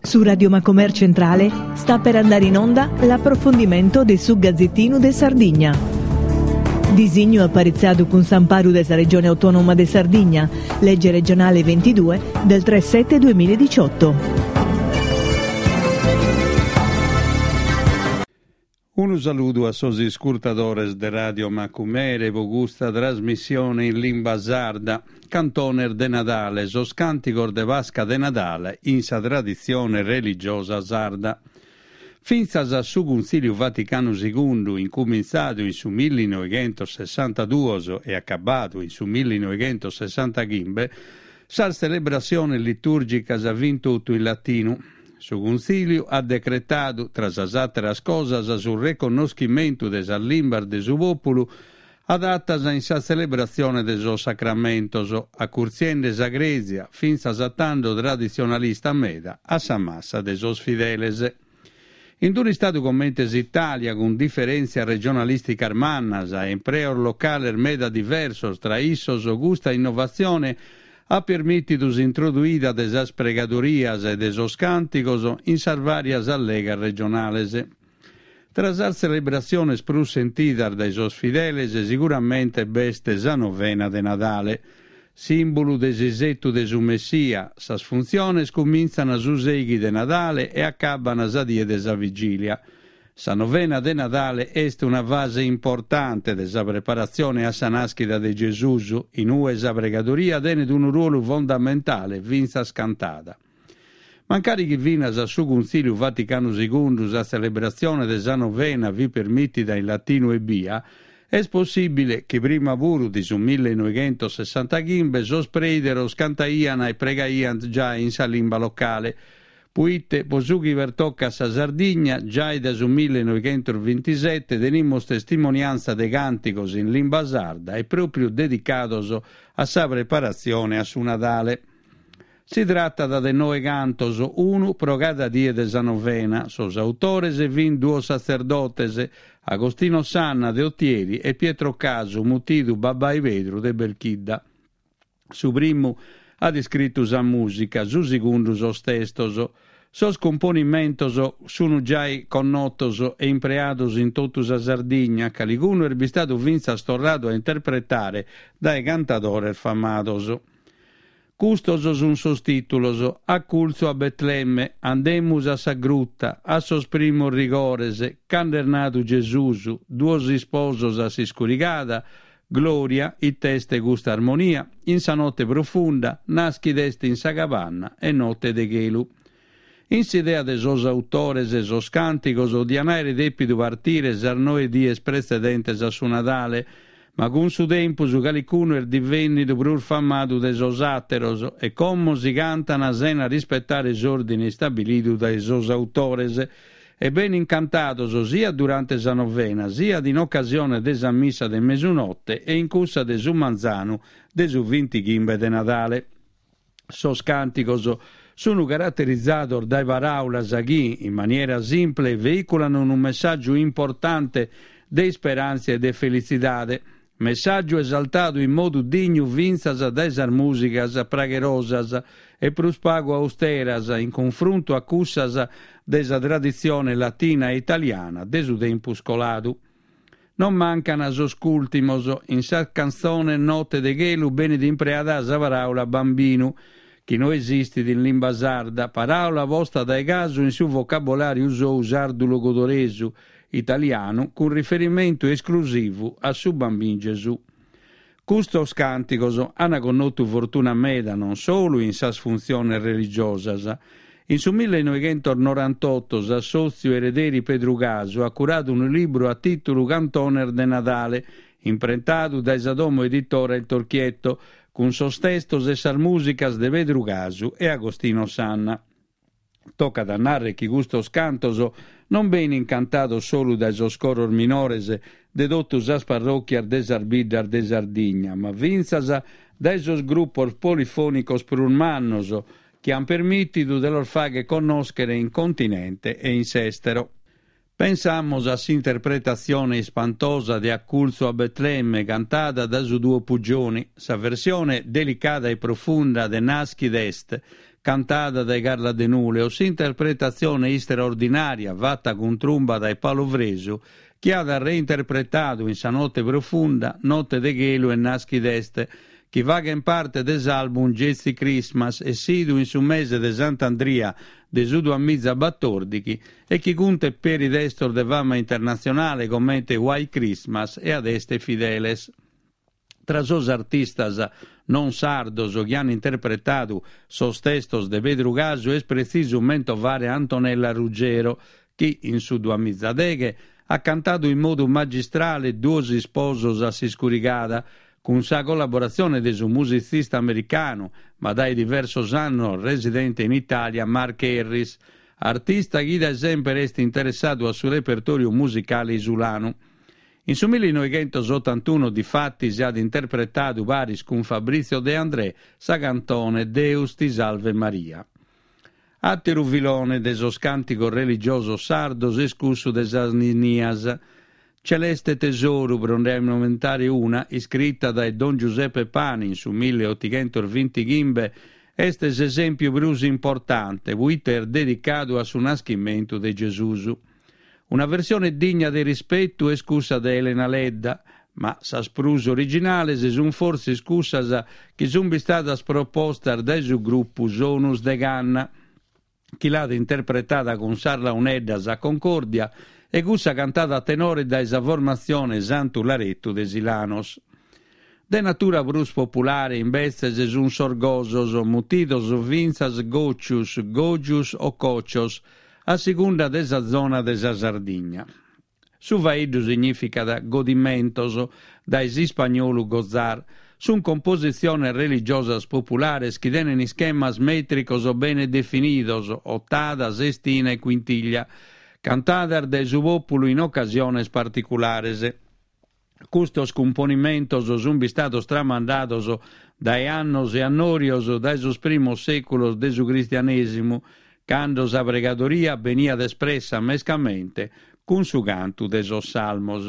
Su Radio Macomer Centrale sta per andare in onda l'approfondimento de su Gazzettinu de Sardigna. Disignu aparitzadu cun s'amparu de sa Regione Autonoma de Sardigna, legge regionale 22 del 3 7 2018. Unu saludu a sos iscurtadores de Radio Macumere po custa trasmissione in limba sarda, Cantones de Nadale, sos càntigos de Pasca de Nadale in sa traditzione religiosa sarda. Fintzas a su Cuntzìliu Vaticanu Segundu, incumintzadu in su millinoighentossessantaduos e acabadu in su millinoighentosessantachimbe, sas tzelebrassiones litùrgicas fint totu in latinu. Su Cuntzìliu at decretadu, tra sas àteras cosas, su reconnoschimentu de sas limbas de su pòpulu adatas in sa tzelebratzione de sos sacramentos, acurtziende sa Crèsia, fintzas a tando traditzionalista meda, a sa massa de sos fideles. In un'istadu comente s'Itàlia, cun diferèntzias regionalìsticas mannas e impreos locales meda diversos tra issos, custa innovatzione at permìtidu s'introduida de sas pregadorias e de sos càntigos in sas vàrias allegas regionales. Tra sas tzelebratziones prus sentidas dae sos fideles siguramente b'est sa novena de Nadale. Sìmbulu de s'isetu de su Messia, sas funtziones cumintzan su sèighi de Nadale e acabban sa die de sa Vigìlia. Sa novena de Nadale est una fase importante de sa preparatzione a sa nàschida de Gesùs, in ue sa pregadoria tenet unu ruolu fondamentale fintzas cantada. Mancari chi finas a su Cuntzìliu Vaticanu Segundu sa tzelebratzione de sa novena fit permìtida in latinu ebbia, est possìbile chi prima puru de su millenoighentossessantachimbe sos preideros cantaiant e pregaiant giai in sa limba locale, Puite, po su chi pertocat sa Sardigna, giai dae su millenoighentosbintisete tenimus testimoniantza de càntigos in limba sarda e pròpriu dedicados a sa preparatzione a su Nadale. Si tratat de noe cantos, unu pro cada die de sa novena. Sos autores fint duos satzerdotes, Agostino Sanna de Otieri e Pietro Casu, mutidu Babbai Pedru de Belchidda. Su primu at iscritu sa mùsica, su segundu sos testos. Sos cumponimentos sunt giai connotos e impreados in totu sa Sardigna, calicunu est bistadu fintzas torradu a interpretare dae cantadores famados. Custos sunt sos tìtulos, Acultzu a Betlemme, Andemus a sa gruta, A sos primos rigores, Cando est nadu Gesùs, Duos isposos a s'iscurigada, Gloria, it'est custa armonia, in sa notte profunda, naschid'est in sa cabanna e notte de chelu. In s'idea de sos autores sos càntigos dian àere dèpidu partire sas noe dies pretzedentes a su Nadale, ma cun su tempus calicunu est divènnidu prus famadu de sos àteros e como si cantan sena rispetare s'òrdine istabilidu dae sos autores e benin cantados siat durante sa novena, siat in ocasione de sa missa de mesunote e in cussa de su manzanu de su vintighimbe de Nadale. Sos càntigos sunt caraterizados dae paràulas chi, in maniera simple, veiculan unu messàgiu importante de isperàntzia e de felitzidade, Messàgiu esaltadu in modu dignu fintzas dae sas mùsicas pragherosas e prus pagu austeras in cunfruntu a cussas de sa traditzione latina e italiana de su tempus coladu. Non mancan sos cùltimos, in sa cantzone Note de chelu benit impreada sa paràula bambinu, chi no esistit in limba sarda, paràula posta dae casu in su vocabolàriu sou sardu-logudoresu, italianu cun riferimentu esclusivu a su Bambin Gesù. Custos càntigos ant connotu fortuna meda non solu in sas funtziones religiosas. In su millenoighentosnorantoto s'assòtziu Erederi Pedru Casu at curadu unu libru a tìtulu Cantones de Nadale, imprentadu dae sa domo editora Il Torchietto, cun sos testos e sas mùsicas de Pedru Casu e Agostino Sanna. Tocat a nàrrere chi custos cantos non benint cantados solu dae sos coros minores de totu sas parròchias de sas biddas de Sardigna, ma fintzas dae sos grupos polifònicos prus mannos chi ant permìtidu de los fàghere connòschere in continente e in s'èstero. Pensamus a s'interpretatzione ispantosa de Acultzu a Betlemme cantada dae su duo Puggioni, sa versione delicada e profunda de Naschid est, cantada dae Carla Denule, o s'interpretatzione istraordinària fata cun trumba dae Paolo Fresu, chi at reinterpretadu in Sa note profunda, Note de chelu e Naschid'est, chi faghent parte de s'album Jazzy Christmas, essidu in su mese de Sant'Andria de su duamizabatòrdighi e chi cuntet peri testos de fama internatzionale comente White Christmas e Adeste Fideles. Tra sos artistas non sardos chi an interpretadu sos testos de Pedru Casu est pretzisu mentovare Antonella Ruggiero, chi, in su duamizadeghe, at cantadu in modu magistrale Duos isposos a s'iscurigada, cun sa collaboratzione de su musitzista americanu, ma dae diversos annos residente in Itàlia, Mark Harris, artista chi dae semper est interessadu a su repertòriu musicale isulanu. In su millinoighentos-otantunu difatis at interpretadu paris cun Fabrizio De André sa cantone Deus ti salve Maria. Àteru filone de sos càntigos religiosos sardos est cussu de sas ninnias. Celeste Tesoru, pro nde ammentare una, iscrita dae Don Giuseppe Pani in su milleotighentosvintighimbe, est s'esèmpiu prus importante, puite est dedicadu a su naschimentu de Gesùs. Una versione digna de rispetu est cussa de Elena Ledda, ma sas prus originales sunt fortzis cussas chi sunt bistadas propostas dae su grupu Sonus de Canna, chi l'at interpretada cun sas launeddas a Concordia e cussa cantada a tenore dae sa formatzione Santu Larettu de Silanos. De natura prus populare imbetzes sunt sos gosos, mutidos fintzas gòcius, gògius o còcios, a segunda de sa zona de sa Sardigna. Su faeddu signìficat godimentos, dae s'ispagnolu gozar. Sunt compositziones religiosas populares chi tenen ischemas mètricos bene definidos, otada, sestina e quintiglia, cantadas dae su pòpulu in ocasiones particulares. Custos cumponimentos sunt bistados tramandados dae annos e annòrios dae sos primos sèculos de su cristianèsimu, cando sa pregadoria beniat espressa mescamente cun su cantu de sos salmos.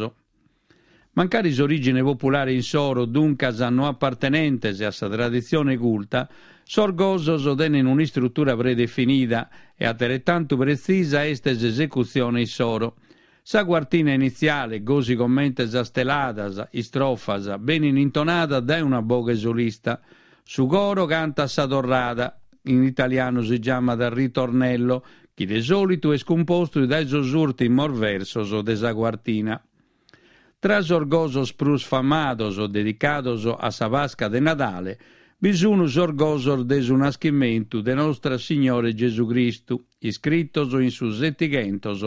Mancari s'orìgine populare insoro duncas no apartenentes a sa traditzione culta, sos gosos tenen un'istrutura predefinida e ateretantu pretzisa est s'esecutzione issoro. Sa cuartina initziale, gosi comente sas teladas, istrofas, benin intonadas dae una boghe solista. Su coro cantat sa torrada, in italianu si giamat ritornello, chi de sòlitu est cumpostu dae sos ùrtimos versos de sa cuartina. Tra sos gosos prus famados dedicados a sa Pasca de Nadale bi sun sos gosos de su naschimentu de Nostra Signore Gesù Cristu, iscritos in su Setighentos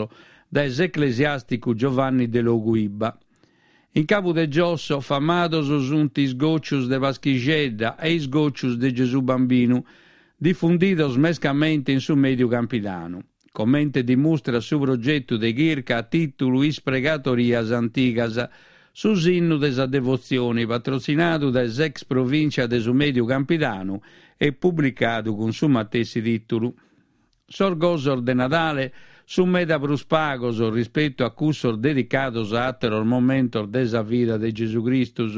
dae s'eclesiàsticu Giovanni Delogu Ibba. In Cabu de Giosso famados sunt is gòcius de Paschixedda e is gòcius de Gesù Bambinu, difundidos mescamente in su Mèdiu Campidanu, comente dimustrat su progetu de chirca a tìtulu Is pregatorias antigas, su sinnu de sa devotzioni, patrotzinadu dae s'ex provìncia de su Mèdiu Campidanu e publicadu cun su matessi tìtulu. Sos gosos de Nadale sunt meda prus pagos rispetu a cussos dedicados a àteros momentos de sa vida de Gesù Cristus,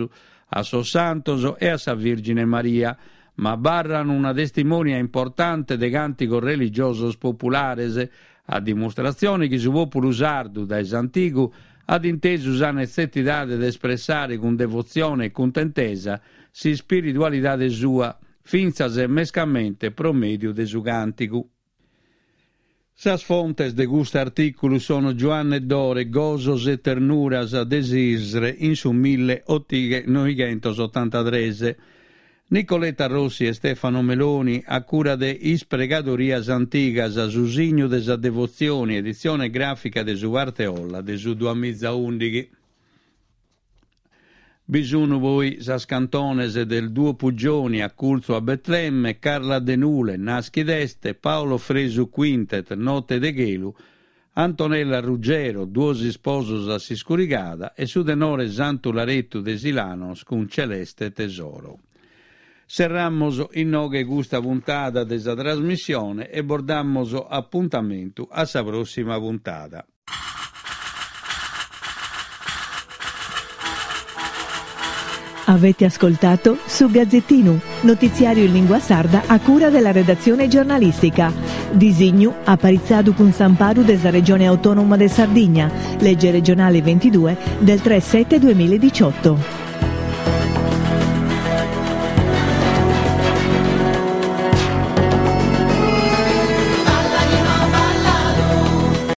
a sos santos e a sa Vìrgine Maria, ma abarran una testimonia importante de càntigos religiosos populares, a dimustratzione chi su pòpulu sardu dae s'antigu at intesu sa netzetidade de espressare cun devotzione e cuntentesa s'ispiritualidade sua, fintzas e mescamente pro mèdiu de su càntigu. Sas fontes de custu artìculu sono Giuanne Dore, Gosos e ternuras de s'Isre in su milleonoighentosotantatres, Nicoletta Rossi e Stefano Meloni a cura de Is pregadorias antigas, su signu de sa devotzioni, editzione gràfica de su Parteolla de su duamizaùndighi. Bi sunu poi sas cantones del Duo Puggioni Acculzu a Betlemme, Carla Denule, Naschid'est, Paolo Fresu Quintet, Notte de chelu, Antonella Ruggiero, Duos isposos a s'iscurigada e su tenore Santu Larettu de Silanos cun Celeste Tesoro. Serramos inoghe custa puntada de sa trasmissione e bos damos apuntamentu a sa prossima puntada. Avete ascoltato Su Gazzettinu, notiziario in lingua sarda a cura della redazione giornalistica. Disignu aparitzadu cun s'amparu de sa Regione Autonoma de Sardigna, legge regionale 22 del 3 7 2018.